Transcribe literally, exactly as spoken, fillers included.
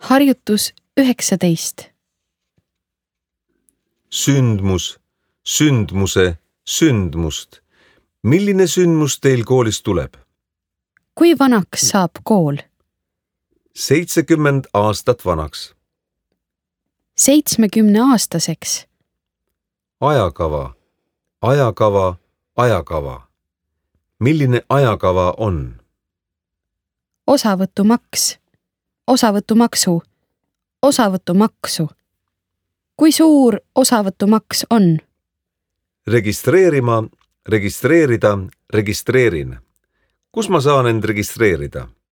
Harjutus üheksateist. Sündmus, sündmuse, sündmust. Milline sündmus teil koolis tuleb? Kui vanaks saab kool? seitsekümmend aastat vanaks. seitsmekümne aastaseks. Ajakava, ajakava, ajakava. Milline ajakava on? Osavõtumaks, osavõtumaksu, osavõtumaksu. Kui suur osavõtumaks on? Registreerima, registreerida, registreerin. Kus ma saan end registreerida?